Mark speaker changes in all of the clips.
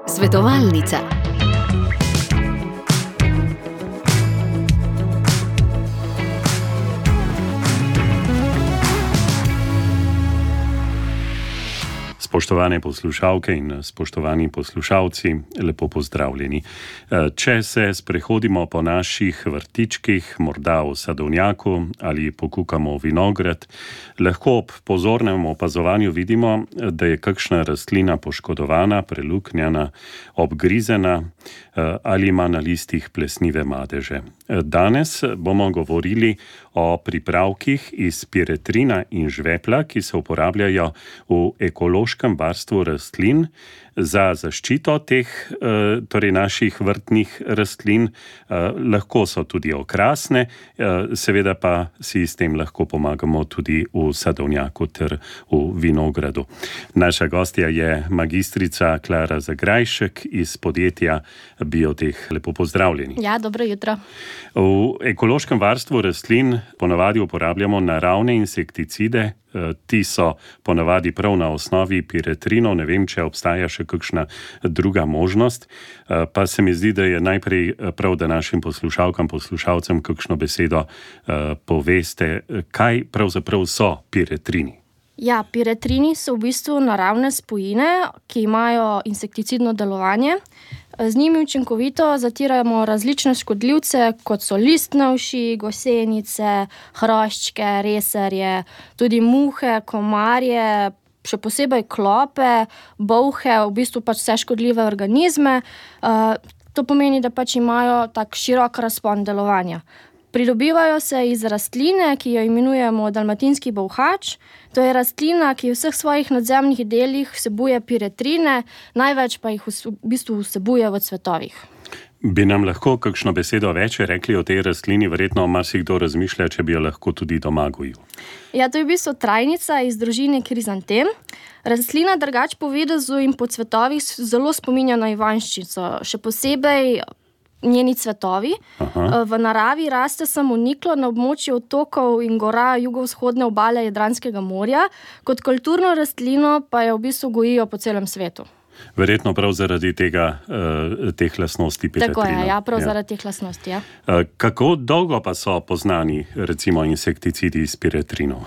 Speaker 1: Svetovalnica.
Speaker 2: Spoštovane poslušalke in spoštovani poslušalci, lepo pozdravljeni. Če se sprehodimo po naših vrtičkih, morda v sadovnjaku ali pokukamo vinograd, lahko ob pozornem opazovanju vidimo, da je kakšna rastlina poškodovana, preluknjana, obgrizena ali ima na listih plesnive madeže. Danes bomo govorili o pripravkih iz piretrina in žvepla, ki se uporabljajo v ekološkem varstvu rastlin za zaščito teh, torej naših vrtnih rastlin. Lahko so tudi okrasne, seveda pa si s tem lahko pomagamo tudi v sadovnjaku ter v vinogradu. Naša gostja je magistrica Klara Zagrajšek iz podjetja Bioteh. Lepo pozdravljeni.
Speaker 3: Ja, dobro jutro.
Speaker 2: V ekološkem varstvu rastlin ponavadi uporabljamo naravne insekticide. Ti so ponavadi prav na osnovi piretrinov, ne vem, če obstaja še kakšna druga možnost, pa se mi zdi, da je najprej prav, da našim poslušalcem kakšno besedo poveste, kaj pravzaprav so piretrini.
Speaker 3: Ja, piretrini so v bistvu naravne spojine, ki imajo insekticidno delovanje. Z njimi učinkovito zatiramo različne škodljivce, kot so listne uši, gosenice, hroščke, resarje, tudi muhe, komarje, še posebej klope, bolhe, v bistvu pač vse škodljive organizme. To pomeni, da pač imajo tak širok razpon delovanja. Pridobivajo se iz rastline, ki jo imenujemo dalmatinski bolhač. To je rastlina, ki v vseh svojih nadzemnih delih vsebuje piretrine, največ pa jih v bistvu vsebuje v cvetovih.
Speaker 2: Bi nam lahko kakšno besedo več rekli o tej rastlini? Verjetno marsikdo razmišlja, če bi jo lahko tudi doma gojil.
Speaker 3: Ja, to je v bistvu trajnica iz družine krizantem. Rastlina drugače po videzu in po cvetovih zelo spominja na ivanjščico, še posebej njeni cvetovi. V naravi raste samoniklo na območju otokov in gora jugovzhodne obale Jadranskega morja, kot kulturno rastlino pa jo v bistvu gojijo po celem svetu.
Speaker 2: Verjetno prav zaradi teh lastnosti piretrina.
Speaker 3: Tako je, ja, prav zaradi teh lastnosti, ja.
Speaker 2: Kako dolgo pa so poznani, recimo, insekticidi iz piretrinov?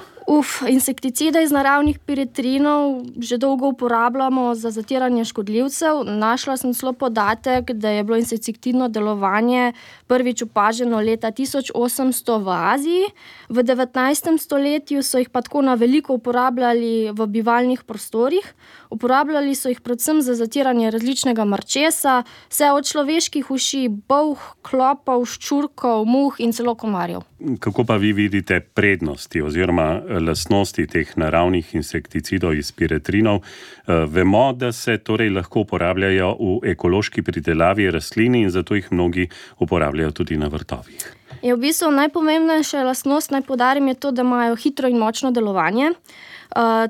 Speaker 3: Insekticide iz naravnih piretrinov že dolgo uporabljamo za zatiranje škodljivcev. Našla sem celo podatek, da je bilo insekticidno delovanje prvič opaženo leta 1800 v Aziji. V 19. stoletju so jih pa tako na veliko uporabljali v bivalnih prostorih. Uporabljali so jih predvsem za zatiranje različnega mrčesa, vse od človeških uši, bolh, klopov, ščurkov, muh in celo komarjev.
Speaker 2: Kako pa vi vidite prednosti oziroma lastnosti teh naravnih insekticidov iz piretrinov? Vemo, da se torej lahko uporabljajo v ekološki pridelavi rastlin in zato jih mnogi uporabljajo tudi na vrtovih.
Speaker 3: V bistvu najpomembnejša lastnost, naj poudarim, je to, da imajo hitro in močno delovanje.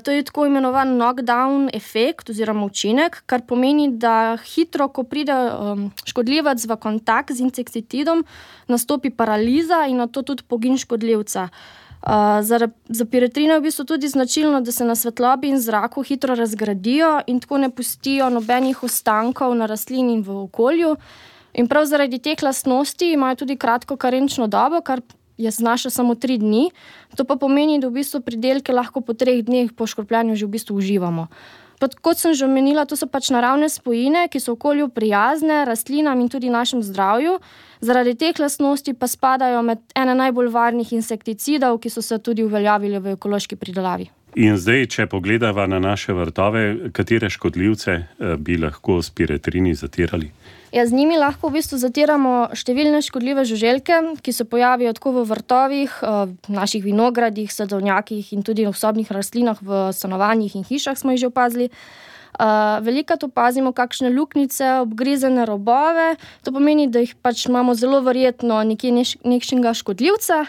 Speaker 3: To je tako imenovan knockdown efekt oziroma učinek, kar pomeni, da hitro, ko pride škodljivec v kontakt z insekticidom, nastopi paraliza in nato tudi pogin škodljivca. Za piretrine je v bistvu tudi značilno, da se na svetlobi in zraku hitro razgradijo in tako ne pustijo nobenih ostankov na rastlini in v okolju. In prav zaradi teh lastnosti imajo tudi kratko karenčno dobo, kar znaša samo 3 dni. To pa pomeni, da v bistvu pridelke lahko po 3 dneh po škropljanju že v bistvu uživamo. Kot sem že omenila, to so pač naravne spojine, ki so okolju prijazne, rastlinam in tudi našem zdravju. Zaradi teh lastnosti pa spadajo med ene najbolj varnih insekticidov, ki so se tudi uveljavili v ekološki pridelavi.
Speaker 2: In zdaj, če pogledava na naše vrtove, katere škodljivce bi lahko s piretrini zatirali?
Speaker 3: Z njimi lahko v bistvu zatiramo številne škodljive žuželke, ki se pojavijo tako v vrtovih, naših vinogradih, sadovnjakih in tudi v sobnih rastlinah v stanovanjih in hišah smo jih že opazili. Velikokrat opazimo kakšne luknjice, obgrizene robove. To pomeni, da jih pač imamo zelo verjetno nekje nekšnega škodljivca,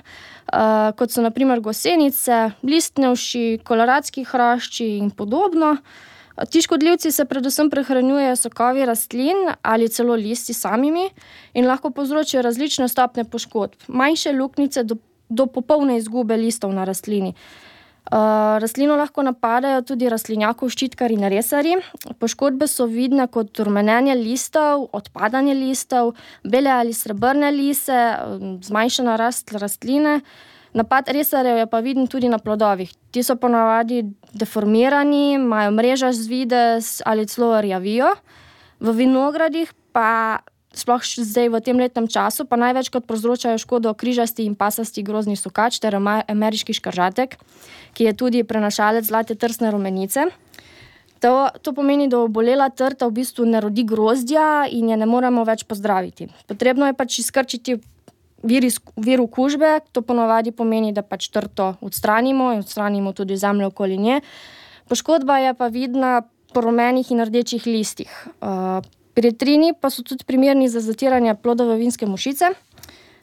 Speaker 3: kot so na primer gosenice, listne uši, koloradski hrošči in podobno. Ti škodljivci se predvsem prehranjujejo sokovi rastlin ali celo listi samimi in lahko povzročijo različne stopnje poškodb, manjše luknjice do popolne izgube listov na rastlini. Rastlino lahko napadajo tudi rastlinjakov, ščitkari in resarji. Poškodbe so vidne kot rumenenje listov, odpadanje listov, bele ali srebrne lise, zmanjšana rast rastline. Napad resarjev je pa viden tudi na plodovih. Ti so ponavadi deformirani, imajo mrežast videz ali celo rjavijo. V vinogradih pa sploh zdaj v tem letnem času pa največkrat povzročajo škodo križasti in pasasti grozdni sukač ter ameriški škržatek, ki je tudi prenašalec zlate trsne rumenice. To pomeni, da obolela trta v bistvu ne rodi grozdja in je ne moremo več pozdraviti. Potrebno je pač izkrčiti vir okužbe, to ponavadi pomeni, da pač trto odstranimo in odstranimo tudi zemljo okoli nje. Poškodba je pa vidna po rumenih in rdečih listih. Piretrini pa so tudi primerni za zatiranje plodove vinske mušice.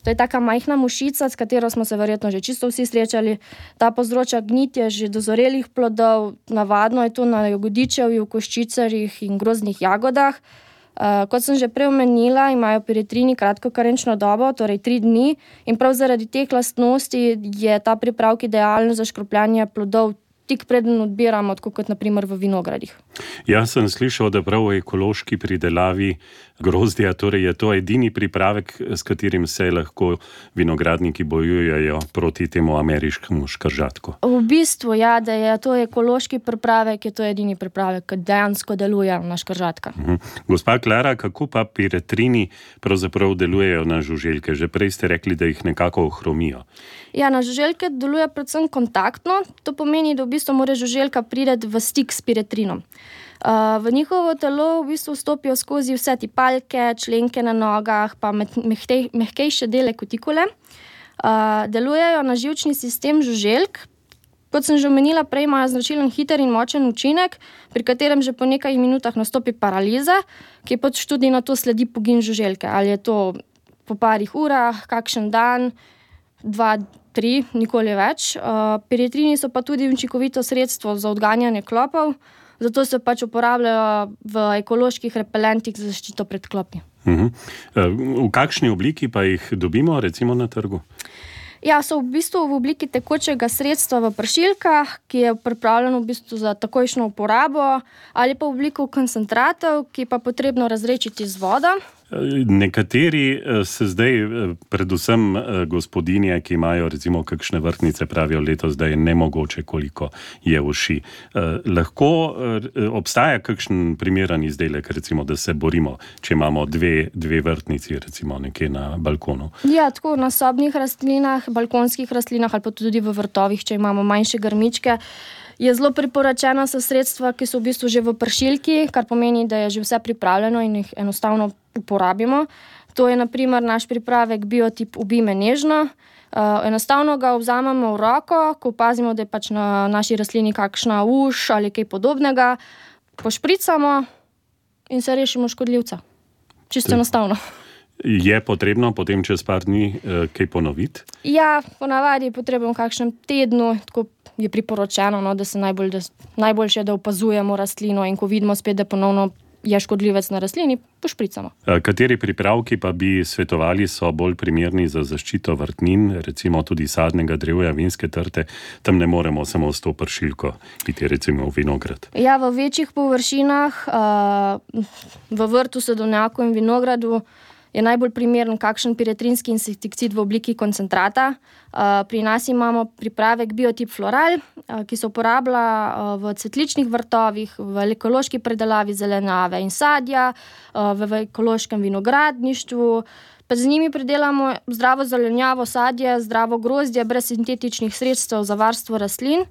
Speaker 3: To je taka majhna mušica, s katero smo se verjetno že čisto vsi srečali. Ta povzroča gnitje že dozorelih plodov, navadno je to na jagodičevju, koščicarjih in grozdnih jagodah. Kot sem že prej omenila, imajo piretrini kratko karenčno dobo, torej 3 dni, in prav zaradi teh lastnosti je ta pripravek idealen za škropljanje plodov tik preden odbiramo, tako kot naprimer v vinogradih.
Speaker 2: Jaz sem slišal, da prav v ekološki pridelavi grozdja, torej je to edini pripravek, s katerim se lahko vinogradniki bojujejo proti temu ameriškemu škržatku.
Speaker 3: V bistvu, ja, da je to ekološki pripravek, je to edini pripravek, ki dejansko deluje na škržatka.
Speaker 2: Gospa Klara, kako pa piretrini pravzaprav delujejo na žuželke? Že prej ste rekli, da jih nekako ohromijo.
Speaker 3: Ja, na žuželke deluje predvsem kontaktno. To pomeni, da v bistvu mora žuželka priti v stik s piretrinom. V njihovo telo v bistvu vstopijo skozi vse tipalke, členke na nogah, pa mehkejše dele kutikule. Delujejo na živčni sistem žuželk. Kot sem že omenila prej, imajo značilen hiter in močen učinek, pri katerem že po nekaj minutah nastopi paraliza, ki pač tudi na to sledi pogin žuželke. Ali je to po parih urah, kakšen dan, 2, 3, nikoli več. Piretrini so pa tudi učinkovito sredstvo za odganjanje klopov, zato se pač uporabljajo v ekoloških repelentih za zaščito pred klopi.
Speaker 2: V kakšni obliki pa jih dobimo, recimo na trgu?
Speaker 3: Ja, so v bistvu v obliki tekočega sredstva v pršilkah, ki je pripravljeno v bistvu za takojšnjo uporabo, ali pa v obliku koncentratov, ki pa potrebno razredčiti z vodo.
Speaker 2: Nekateri se zdaj, predvsem gospodinje, ki imajo recimo kakšne vrtnice, pravijo letos, da je nemogoče, koliko je uši. Lahko obstaja kakšen primeren izdelek, recimo, da se borimo, če imamo dve vrtnici, recimo nekje na balkonu?
Speaker 3: Ja, tako na sobnih rastlinah, balkonskih rastlinah ali pa tudi v vrtovih, če imamo manjše grmičke, je zelo priporočeno so sredstva, ki so v bistvu že v pršilki, kar pomeni, da je že vse pripravljeno in jih enostavno uporabimo. To je na primer naš pripravek Biotip Ubij me nežno. Enostavno ga vzamemo v roko, ko opazimo, da je pač na naši rastlini kakšna uš ali kaj podobnega, pošpricamo in se rešimo škodljivca. Čisto enostavno.
Speaker 2: Je potrebno potem čez par dni kaj ponoviti?
Speaker 3: Ja, ponavadi je potrebno v kakšnem tednu, tako je priporočeno, da se najboljše, da opazujemo rastlino in ko vidimo spet, da ponovno je škodljivec na rastlini, pošpricamo.
Speaker 2: Kateri pripravki pa bi svetovali so bolj primerni za zaščito vrtnin, recimo tudi sadnega drevja, vinske trte? Tam ne moremo samo s to pršilko iti recimo v vinograd.
Speaker 3: Ja, v večjih površinah, v vrtu, sadovnjaku in vinogradu je najbolj primeren kakšen piretrinski insekticid v obliki koncentrata. Pri nas imamo pripravek Biotip Floral, ki se uporablja v cvetličnih vrtovih, v ekološki predelavi zelenjave in sadja, v ekološkem vinogradništvu. Pa z njimi pridelamo zdravo zelenjavo, sadje, zdravo grozdje, brez sintetičnih sredstev za varstvo rastlin.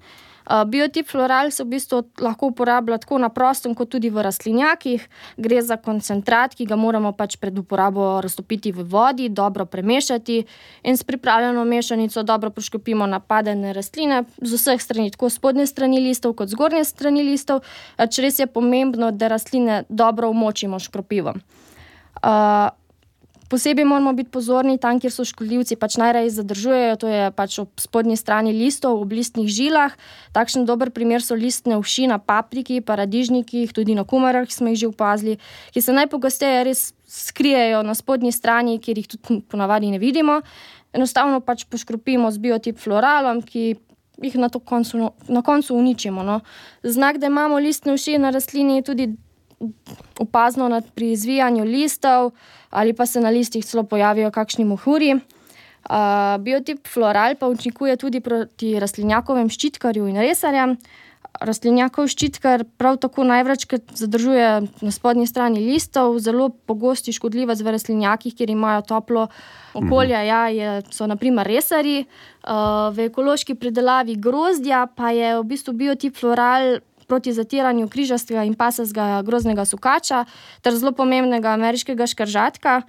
Speaker 3: Biotip Floral se v bistvu lahko uporablja tako na prostem, kot tudi v rastlinjakih. Gre za koncentrat, ki ga moramo pač pred uporabo raztopiti v vodi, dobro premešati in s pripravljeno mešanico dobro poškropimo napadene rastline z vseh strani, tako spodnje strani listov kot zgornje strani listov. Res je pomembno, da rastline dobro umočimo škropivom. Posebej moramo biti pozorni tam, kjer so škodljivci pač najraje zadržujejo, to je pač ob spodnji strani listov, ob listnih žilah. Takšen dober primer so listne uši na papriki, paradižnikih, tudi na kumarah smo jih že opazili, ki se najpogosteje res skrijejo na spodnji strani, kjer jih tudi ponavadi ne vidimo. Enostavno pač poškropimo z Biotip Floralom, ki jih na koncu uničimo. No. Znak, da imamo listne uši na rastlini, je tudi opazno pri izvijanju listov ali pa se na listih celo pojavijo kakšni mohuri. Biotip floral pa učinkuje tudi proti rastlinjakovem ščitkarju in resarjem. Rastlinjakov ščitkar prav tako največkrat zadržuje na spodnji strani listov, zelo pogosti škodljivac v rastlinjakih, kjer imajo toplo okolje, so na primer resarji. V ekološki pridelavi grozdja pa je v bistvu biotip floral proti zatiranju križastega in pasastega grozdnega sukača ter zelo pomembnega ameriškega škržatka.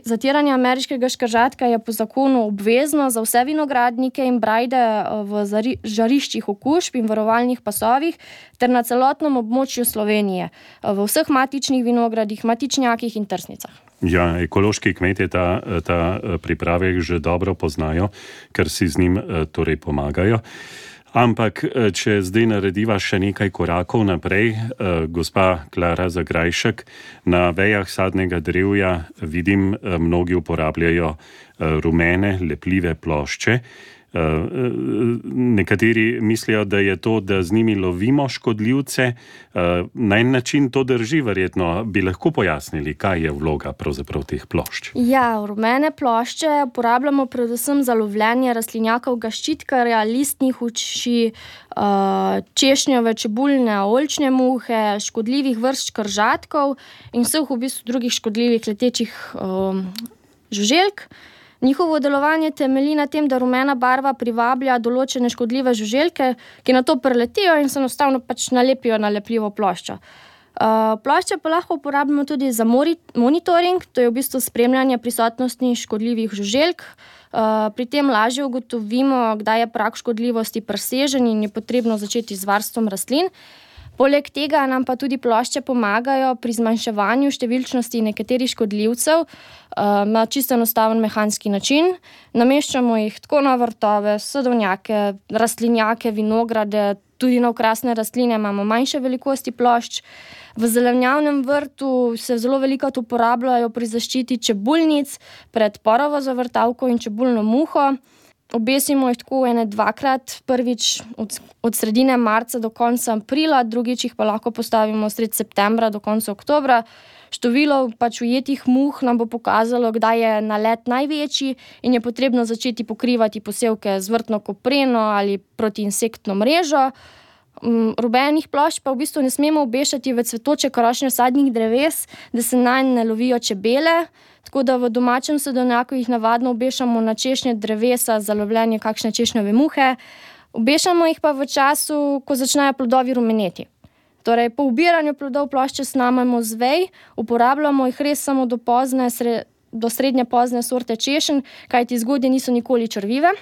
Speaker 3: Zatiranje ameriškega škržatka je po zakonu obvezno za vse vinogradnike in brajde v žariščih okužb in varovalnih pasovih ter na celotnem območju Slovenije, v vseh matičnih vinogradih, matičnjakih in trsnicah.
Speaker 2: Ja, ekološki kmetje ta pripravek že dobro poznajo, ker si z njim torej pomagajo. Ampak, če zdaj narediva še nekaj korakov naprej, gospa Klara Zagrajšek, na vejah sadnega drevja vidim, mnogi uporabljajo rumene, lepljive plošče. Nekateri mislijo, da je to, da z njimi lovimo škodljivce. Na en način to drži, verjetno. Bi lahko pojasnili, kaj je vloga pravzaprav teh plošč?
Speaker 3: Ja, rumene plošče uporabljamo predvsem za lovljenje rastlinjakovega ščitkarja, listnih uši, češnjeve, čebuljne, oljčne muhe, škodljivih vrst škržatkov in vseh v bistvu drugih škodljivih letečih žuželk. Njihovo delovanje temelji na tem, da rumena barva privablja določene škodljive žuželke, ki nato preletijo in se enostavno nalepijo na lepljivo ploščo. Plošče pa lahko uporabljamo tudi za monitoring, to je v bistvu spremljanje prisotnosti škodljivih žuželk. Pri tem lažje ugotovimo, kdaj je prag škodljivosti presežen in je potrebno začeti z varstvom rastlin. Poleg tega nam pa tudi plošče pomagajo pri zmanjševanju številčnosti nekaterih škodljivcev na čisto enostaven mehanski način. Nameščamo jih tako na vrtove, sadovnjake, rastlinjake, vinograde, tudi na okrasne rastline imamo manjše velikosti plošč. V zelenjavnem vrtu se zelo velikokrat uporabljajo pri zaščiti čebuljnic pred porovo zavrtavko in čebulno muho. Obesimo jih tako dvakrat, prvič od sredine marca do konca aprila, drugič jih pa lahko postavimo sredi septembra do konca oktobra. Število ujetih muh nam bo pokazalo, kdaj je nalet največji in je potrebno začeti pokrivati posevke z vrtno kopreno ali protiinsektno mrežo. Rumenih plošč pa v bistvu ne smemo obešati v cvetoče krošnje sadnih dreves, da se nanj ne lovijo čebele. Tako da v domačem sadovnjaku jih navadno obešamo na češnje drevesa za lovljenje kakšne češnjeve muhe. Obešamo jih pa v času, ko začnejo plodovi rumeneti. Torej, po ubiranju plodov plošče snamemo z vej, uporabljamo jih res samo do srednje pozne sorte češenj, kajti zgodnje niso nikoli črvive.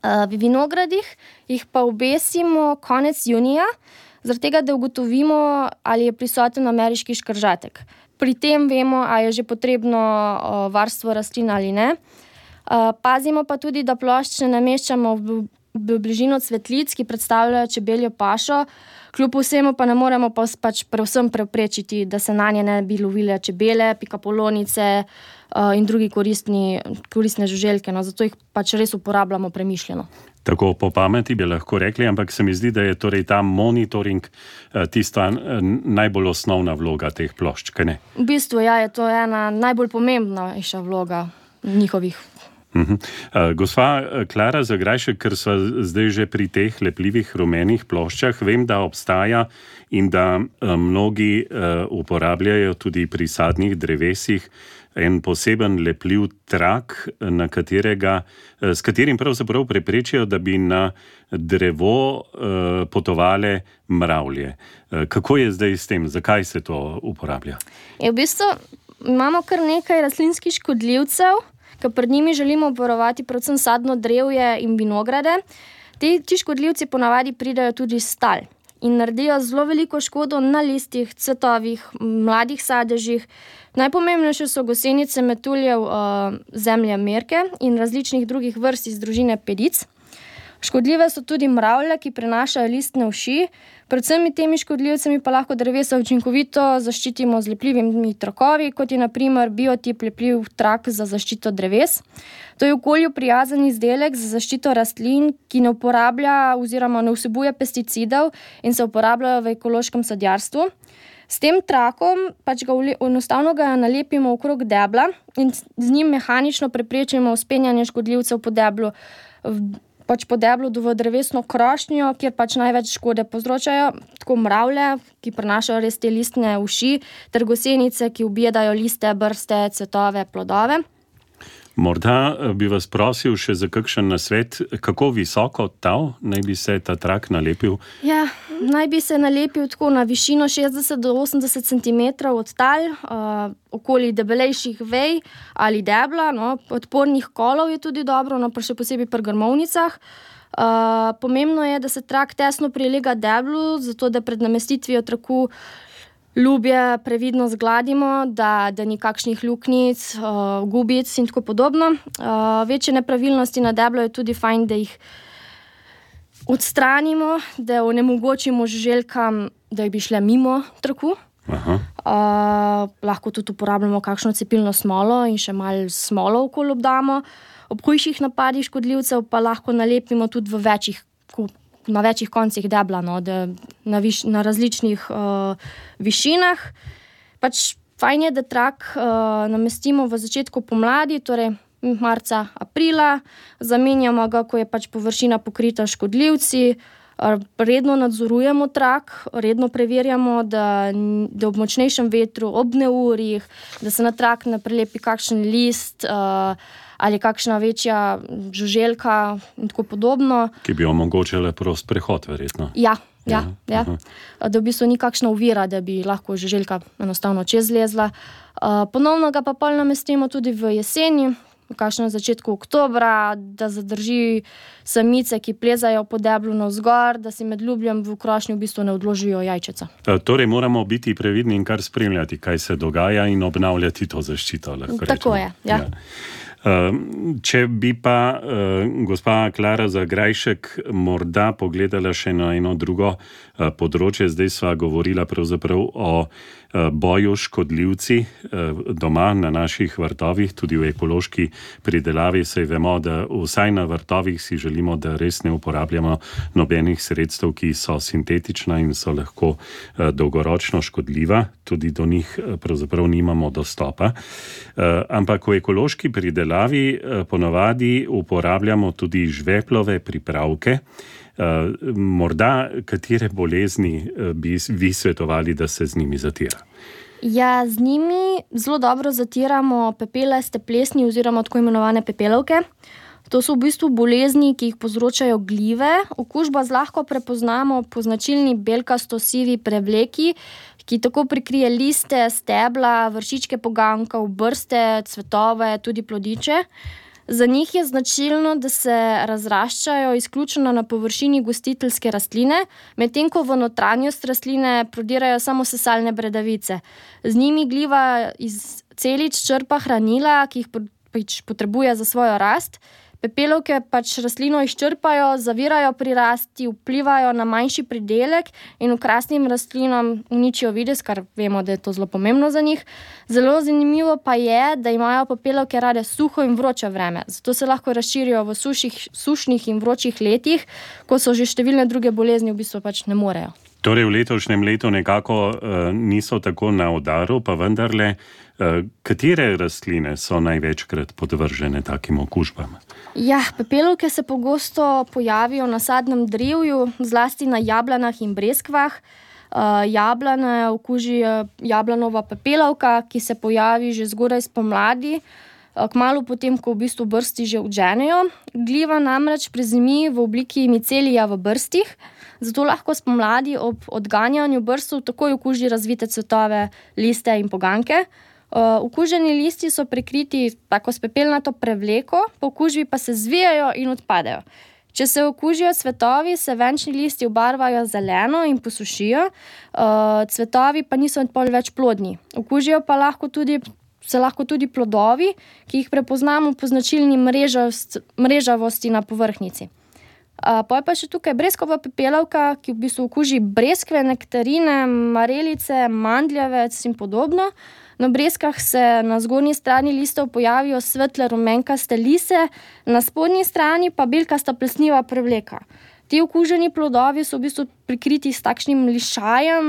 Speaker 3: V vinogradih jih pa obesimo konec junija, zaradi tega, da ugotovimo, ali je prisoten ameriški škržatek. Pri tem vemo, ali je že potrebno varstvo rastlin ali ne. Pazimo pa tudi, da plošč ne nameščamo v bližino cvetlic, ki predstavljajo čebeljo pašo. Kljub vsemu pa ne moremo predvsem preprečiti, da se nanje ne bi lovile čebele, pikapolonice in drugi koristne žuželke. No, zato jih res uporabljamo premišljeno.
Speaker 2: Tako po pameti bi lahko rekli, ampak se mi zdi, da je torej ta monitoring tista najbolj osnovna vloga teh plošč, kaj ne?
Speaker 3: V bistvu je to ena najbolj pomembnejša vloga njihovih.
Speaker 2: Gospa Klara Zagrajšek, ker so zdaj že pri teh lepljivih rumenih ploščah, vem, da obstaja in da mnogi uporabljajo tudi pri sadnih drevesih en poseben lepljiv trak, s katerim pravzaprav preprečijo, da bi na drevo potovale mravlje. Kako je zdaj s tem? Zakaj se to uporablja?
Speaker 3: V bistvu imamo kar nekaj rastlinskih škodljivcev, ker pred njimi želimo obvarovati predvsem sadno drevje in vinograde. Ti škodljivci ponavadi pridejo tudi s tal in naredijo zelo veliko škodo na listih, cvetovih, mladih sadežih. Najpomembnejše so gosenice metuljev zemlje merke in različnih drugih vrst iz družine pedic. Škodljive so tudi mravlje, ki prenašajo listne uši. Predvsem temi škodljivcami pa lahko drevesa učinkovito zaščitimo z lepljivimi trakovi, kot je na primer biotip lepljiv trak za zaščito dreves. To je okolju prijazen izdelek za zaščito rastlin, ki ne uporablja oziroma ne vsebuje pesticidov in se uporabljajo v ekološkem sadjarstvu. S tem trakom enostavno ga nalepimo okrog debla in z njim mehanično preprečimo vzpenjanje škodljivcev po deblu v drevesno krošnjo, kjer največ škode povzročajo, tako mravlje, ki prenašajo res te listne uši, ter gosenice, ki objedajo liste, brste, cvetove, plodove.
Speaker 2: Morda bi vas prosil še za kakšen nasvet, kako visoko tal naj bi se ta trak nalepil?
Speaker 3: Ja, naj bi se nalepil tako na višino 60 do 80 cm od tal, okoli debelejših vej ali debla, podpornih kolov je tudi dobro, pa še posebej pri grmovnicah. Pomembno je, da se trak tesno prilega deblu, zato da pred namestitvijo traku ljubje previdno zgladimo, da ni kakšnih luknjic, gubic in tako podobno. Večje nepravilnosti na deblu je tudi fajn, da jih odstranimo, da onemogočimo žuželkam, da bi šle mimo traku. Lahko tudi uporabljamo kakšno cepilno smolo in še malo smolo okoli obdamo. Ob hujših napadih škodljivcev pa lahko nalepimo tudi na večjih koncih debla, na različnih višinah. Fajn je, da trak namestimo v začetku pomladi, torej marca, aprila. Zamenjamo ga, ko je površina pokrita s škodljivci. Redno nadzorujemo trak, redno preverjamo, da ob močnejšem vetru, ob neurjih, da se na trak ne prilepi kakšen list ali kakšna večja žuželka in tako podobno.
Speaker 2: Ki bi omogočile prost prehod, verjetno.
Speaker 3: Ja. Da v bistvu ni kakšna ovira, da bi lahko žuželka enostavno čez lezla. Ponovno ga pa pol namestimo tudi v jeseni, v kakšnem začetku oktobra, da zadrži samice, ki plezajo po deblu navzgor, da si med ljubljem v krošnji v bistvu ne odložijo jajčeca.
Speaker 2: Torej moramo biti previdni in kar spremljati, kaj se dogaja in obnavljati to zaščito.
Speaker 3: Tako je, ja.
Speaker 2: Če bi pa gospa Klara Zagrajšek morda pogledala še na eno drugo področje, zdaj sva govorila pravzaprav o boju škodljivci doma na naših vrtovih, tudi v ekološki pridelavi, saj vemo, da vsaj na vrtovih si želimo, da res ne uporabljamo nobenih sredstev, ki so sintetična in so lahko dolgoročno škodljiva, tudi do njih pravzaprav nimamo dostopa. Ampak v ekološki pridelavi ponavadi uporabljamo tudi žveplove pripravke. Morda katere bolezni bi vi svetovali, da se z njimi zatira?
Speaker 3: Ja, z njimi zelo dobro zatiramo pepelaste plesni oziroma tako imenovane pepelovke. To so v bistvu bolezni, ki jih povzročajo glive. Okužbo zlahka prepoznamo po značilni belkasto-sivi prevleki, ki tako prikrije liste, stebla, vršičke poganjkov, brste, cvetove, tudi plodiče. Za njih je značilno, da se razraščajo izključno na površini gostiteljske rastline, medtem ko v notranjost rastline prodirajo samo sesalne bradavice. Z njimi gliva iz celic črpa hranila, ki jih potrebuje za svojo rast. Pepelovke rastlino izčrpajo, zavirajo pri rasti, vplivajo na manjši pridelek in okrasnim rastlinam uničijo videz, kar vemo, da je to zelo pomembno za njih. Zelo zanimivo pa je, da imajo pepelovke rade suho in vroče vreme, zato se lahko razširijo v sušnih in vročih letih, ko so že številne druge bolezni v bistvu ne morejo.
Speaker 2: Torej v letošnjem letu nekako niso tako na udaru, pa vendarle, katere rastline so največkrat podvržene takim okužbam?
Speaker 3: Ja, pepelovke se pogosto pojavijo na sadnem drevju, zlasti na jablanah in breskvah. Jablane okuži jablanova pepelovka, ki se pojavi že zgodaj spomladi, kmalu potem, ko v bistvu brsti že odženejo. Gliva namreč prezimi v obliki micelija v brstih, zato lahko spomladi ob odganjanju brstov takoj okuži razvite cvetove, liste in poganjke. Okuženi listi so prekriti tako s pepelnato prevleko, po okužbi pa se zvijajo in odpadejo. Če se okužijo cvetovi, se venčni listi obarvajo zeleno in posušijo, cvetovi pa niso več plodni. Okužijo pa lahko tudi plodovi, ki jih prepoznamo po značilni mrežavosti na povrhnjici. Pol pa še tukaj breskova pepelovka, ki v bistvu okuži breskve, nektarine, marelice, mandljevec in podobno. Na breskah se na zgornji strani listov pojavijo svetle rumenkaste lise, na spodnji strani pa belkasta plesniva prevleka. Ti okuženi plodovi so v bistvu prikriti s takšnim lišajem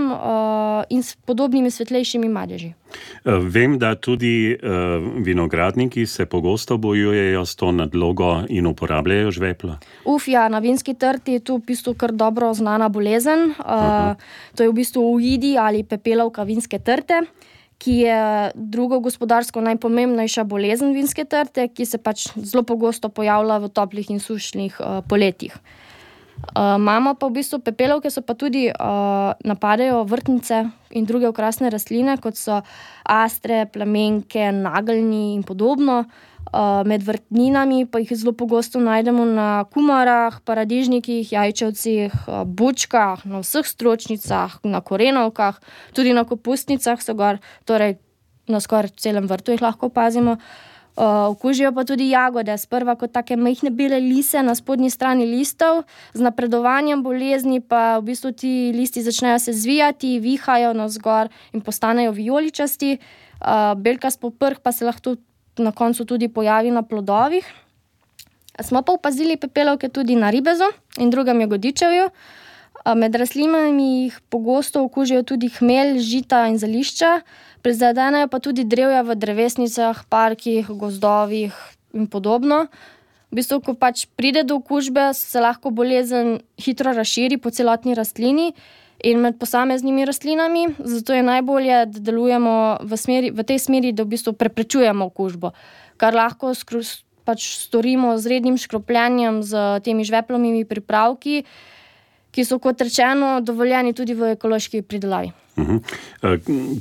Speaker 3: in s podobnimi svetlejšimi madeži.
Speaker 2: Vem, da tudi vinogradniki se pogosto bojujejo s to nadlogo in uporabljajo žveplo.
Speaker 3: Na vinski trti je tu v bistvu kar dobro znana bolezen. To je v bistvu ujidi ali pepelovka vinske trte, ki je drugo gospodarsko najpomembnejša bolezen vinske trte, ki se pač zelo pogosto pojavlja v toplih in sušnih poletjih. Imamo pa v bistvu pepelovke, so pa tudi napadajo vrtnice in druge okrasne rastline, kot so astre, plamenke, nageljni in podobno. Med vrtninami pa jih zelo pogosto najdemo na kumarah, paradižnikih, jajčevcih, bučkah, na vseh stročnicah, na korenovkah, tudi na kopustnicah so gor, torej na skoraj celem vrtu jih lahko opazimo. Okužijo pa tudi jagode, sprva kot take majhne bele lise na spodnji strani listov, z napredovanjem bolezni pa v bistvu ti listi začnejo se zvijati, vihajo navzgor in postanejo vijoličasti. Belkast poprh pa se lahko na koncu tudi pojavi na plodovih. Smo pa opazili pepelovke tudi na ribezu in drugem jagodičevju. Med rastlinami jih pogosto okužijo tudi hmelj, žita in zelišča, prizadenejo pa tudi drevja v drevesnicah, parkih, gozdovih in podobno. V bistvu, ko pač pride do okužbe, se lahko bolezen hitro razširi po celotni rastlini in med posameznimi rastlinami, zato je najbolje, da delujemo v tej smeri, da v bistvu preprečujemo okužbo, kar lahko pač storimo z rednim škropljanjem, z temi žveplovimi pripravki, ki so, kot rečeno, dovoljeni tudi v ekološki pridelavi.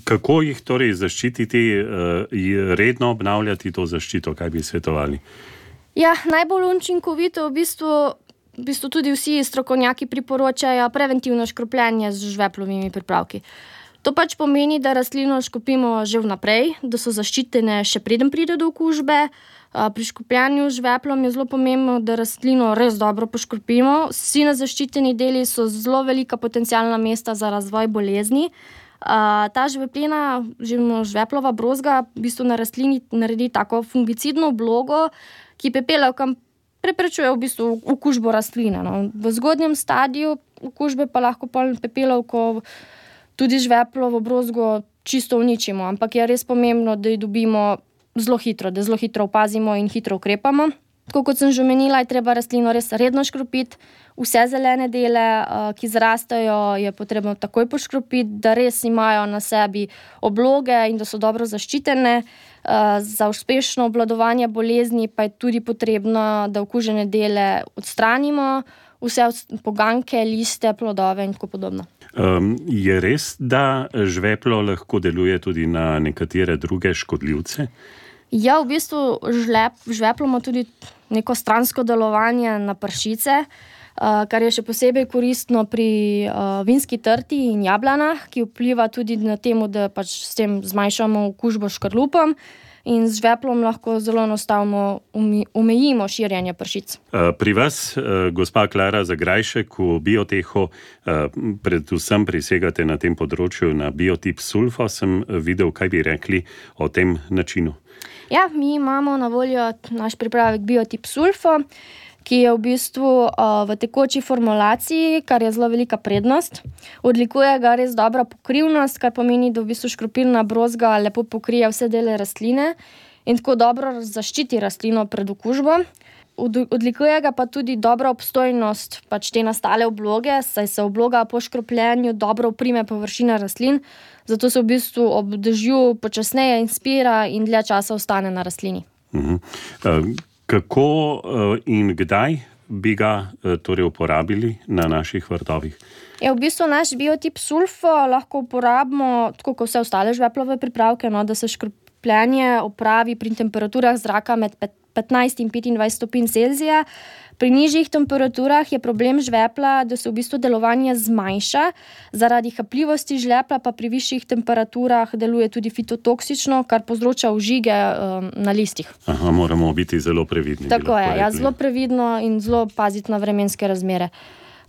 Speaker 2: Kako jih torej zaščititi, redno obnavljati to zaščito, kaj bi svetovali?
Speaker 3: Najbolj učinkovito v bistvu tudi vsi strokovnjaki priporočajo preventivno škropljenje z žveplovimi pripravki. To pač pomeni, da rastlino škropimo že vnaprej, da so zaščitene še preden pride do okužbe. Pri škropljanju z žveplom je zelo pomembno, da rastlino res dobro poškropimo. Vsi nezaščiteni deli so zelo velika potencialna mesta za razvoj bolezni. Ta žveplina, žveplova brozga, v bistvu na rastlini naredi tako fungicidno oblogo, ki pepelovkam preprečuje v bistvu okužbo rastline. V zgodnjem stadiju okužbe pa lahko pepelovko tudi žveplovo brozgo čisto uničimo, ampak je res pomembno, da jo dobimo zelo hitro, da zelo hitro opazimo in hitro ukrepamo. Tako kot sem že omenila, je treba rastlino res redno škropiti. Vse zelene dele, ki zrastajo, je potrebno takoj poškropiti, da res imajo na sebi obloge in da so dobro zaščitene. Za uspešno obvladovanje bolezni pa je tudi potrebno, da okužene dele odstranimo, vse poganke, liste, plodove in tako podobno.
Speaker 2: Je res, da žveplo lahko deluje tudi na nekatere druge škodljivce?
Speaker 3: V bistvu žveplo ima tudi neko stransko delovanje na pršice, kar je še posebej koristno pri vinski trti in jablanah, ki vpliva tudi na temu, da pač s tem zmanjšamo okužbo škrlupom in z žveplom lahko zelo enostavno omejimo širjenje pršic.
Speaker 2: Pri vas, gospa Klara Zagrajšek, v Biotehu predvsem prisegate na tem področju na biotip sulfo. Sem videl, kaj bi rekli o tem načinu.
Speaker 3: Mi imamo na voljo naš pripravek biotip sulfo, ki je v bistvu v tekoči formulaciji, kar je zelo velika prednost. Odlikuje ga res dobra pokrivnost, kar pomeni, da v bistvu škropilna brozga lepo pokrije vse dele rastline in tako dobro zaščiti rastlino pred okužbo. Odlikuje ga pa tudi dobra obstojnost pač te nastale obloge, saj se obloga po škropljenju dobro oprime površina rastlin, zato se v bistvu ob dežju počasneje inspira in dlje časa ostane na rastlini.
Speaker 2: Kako in kdaj bi ga torej uporabili na naših vrtovih?
Speaker 3: V bistvu naš biotip sulfo lahko uporabimo tako kot vse ostale žveplove pripravke, da se škropljenje opravi pri temperaturah zraka med 15 in 25 stopinj Celzija, Pri nižjih temperaturah je problem žvepla, da se v bistvu delovanje zmanjša, zaradi hapljivosti žvepla pa pri višjih temperaturah deluje tudi fitotoksično, kar povzroča ožige na listih.
Speaker 2: Aha, moramo biti zelo previdni.
Speaker 3: Tako je, zelo previdno in zelo paziti na vremenske razmere.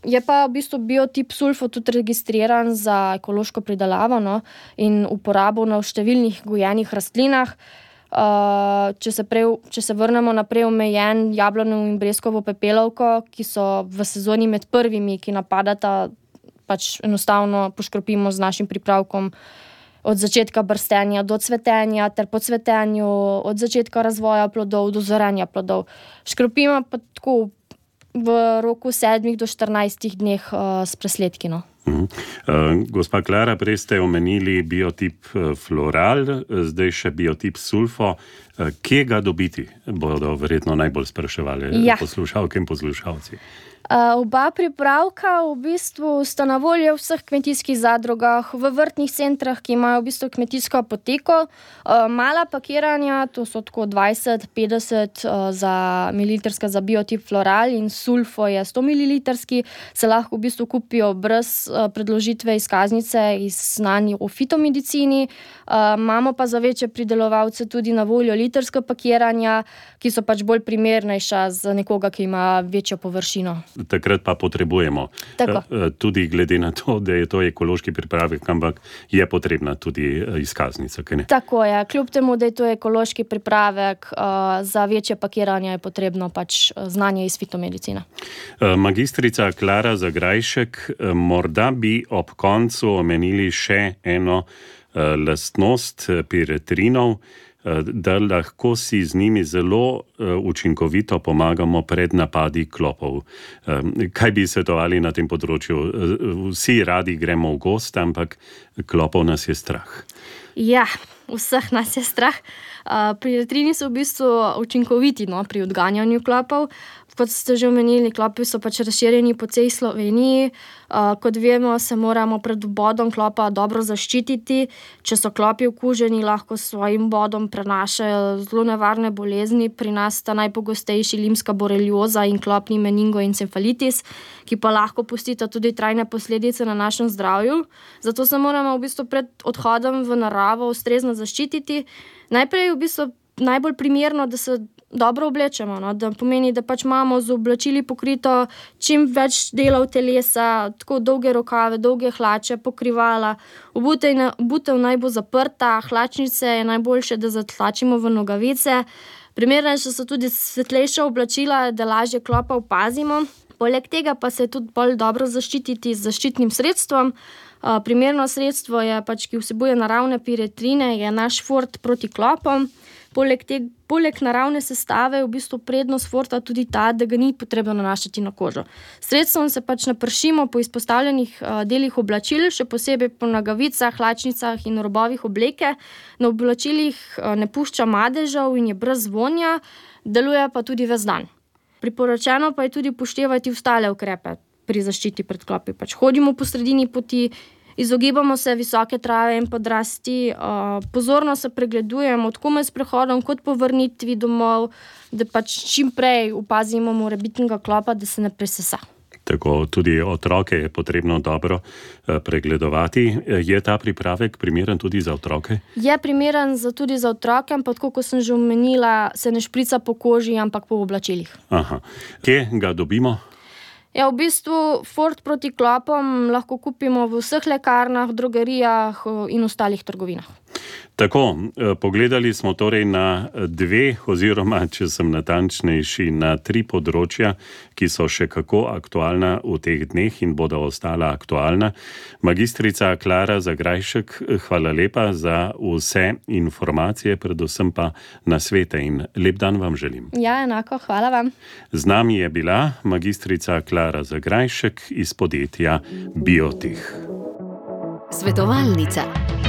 Speaker 3: Je pa v bistvu biotip sulfo tudi registriran za ekološko pridelavo in uporabo na številnih gojenih rastlinah. Če se vrnemo naprej omejen jablano in breskovo pepelovko, ki so v sezoni med prvimi, ki napadata, pač enostavno poškropimo z našim pripravkom od začetka brstenja do cvetenja ter po cvetenju, od začetka razvoja plodov do zorenja plodov. Škropimo pa tako v roku 7 do 14 dneh s presledki.
Speaker 2: Gospa Klara, prej ste omenili biotip floral, zdaj še biotip sulfo. Kje ga dobiti, bodo verjetno najbolj spraševali poslušalke in poslušalci.
Speaker 3: Oba pripravka v bistvu sta na voljo v vseh kmetijskih zadrugah, v vrtnih centrah, ki imajo v bistvu kmetijsko apoteko. Mala pakiranja, to so tako 20-50 mililitrska za biotip floral in sulfo je 100 mililitrski, se lahko v bistvu kupijo brez predložitve izkaznice iz znanj o fitomedicini. Imamo pa za večje pridelovalce tudi na voljo litrska pakiranja, ki so pač bolj primernejša za nekoga, ki ima večjo površino.
Speaker 2: Takrat pa potrebujemo. Tudi glede na to, da je to ekološki pripravek, ampak je potrebna tudi izkaznica.
Speaker 3: Tako je. Kljub temu, da je to ekološki pripravek, za večje pakiranje je potrebno pač znanje iz fitomedicine.
Speaker 2: Magistrica Klara Zagrajšek, morda bi ob koncu omenili še eno lastnost piretrinov, da lahko si z njimi zelo učinkovito pomagamo pred napadi klopov. Kaj bi svetovali na tem področju? Vsi radi gremo v gost, ampak klopov nas je strah.
Speaker 3: Ja, vseh nas je strah. Piretrini so v bistvu učinkoviti pri odganjanju klopov. Kot ste že omenili, klopi so pač razširjeni po celi Sloveniji. Kot vemo, se moramo pred vbodom klopa dobro zaščititi. Če so klopi okuženi, lahko s svojim vbodom prenašajo zelo nevarne bolezni. Pri nas sta najpogostejši limska borelioza in klopni meningoencefalitis, ki pa lahko pustita tudi trajne posledice na našem zdravju. Zato se moramo v bistvu pred odhodom v naravo ustrezno zaščititi. Najprej je v bistvu najbolj primerno, da se dobro oblečemo, da pomeni, da pač imamo z oblačili pokrito čim več delov telesa, tako dolge rokave, dolge hlače, pokrivala. Obutev naj bo zaprta, hlačnice je najboljše, da zatlačimo v nogavice. Primernejša so tudi svetlejša oblačila, da lažje klopa opazimo. Poleg tega pa se je tudi bolj dobro zaščititi z zaščitnim sredstvom. Primerno sredstvo je pač, ki vsebuje naravne piretrine, je naš Fort proti klopom. Poleg naravne sestave je v bistvu prednost Forta tudi ta, da ga ni potrebno nanašati na kožo. Sredstvom se pač napršimo po izpostavljenih delih oblačil, še posebej po nogavicah, hlačnicah in robovih obleke. Na oblačilih ne pušča madežev in je brez vonja, deluje pa tudi ves dan. Priporočeno pa je tudi upoštevati ostale ukrepe pri zaščiti pred klopi. Pač hodimo po sredini poti, izogibamo se visoke trave in podrasti, pozorno se pregledujemo tako med sprehodom kot po vrnitvi domov, da pač čim prej opazimo morebitnega klopa, da se ne presesa.
Speaker 2: Tako, tudi otroke je potrebno dobro pregledovati. Je ta pripravek primeren tudi za otroke?
Speaker 3: Je primeren tudi za otroke, ampak tako, kot sem že omenila, se ne šprica po koži, ampak po oblačilih.
Speaker 2: Aha. Kje ga dobimo?
Speaker 3: Ja, v bistvu Fort proti klopom lahko kupimo v vseh lekarnah, drogerijah in ostalih trgovinah.
Speaker 2: Tako, pogledali smo torej na 2, oziroma, če sem natančnejši, na 3 področja, ki so še kako aktualna v teh dneh in bodo ostala aktualna. Magistrica Klara Zagrajšek, hvala lepa za vse informacije, predvsem pa nasvete in lep dan vam želim.
Speaker 3: Ja, enako, hvala vam.
Speaker 2: Z nami je bila magistrica Klara Zagrajšek iz podjetja Biotih.
Speaker 1: Svetovalnica.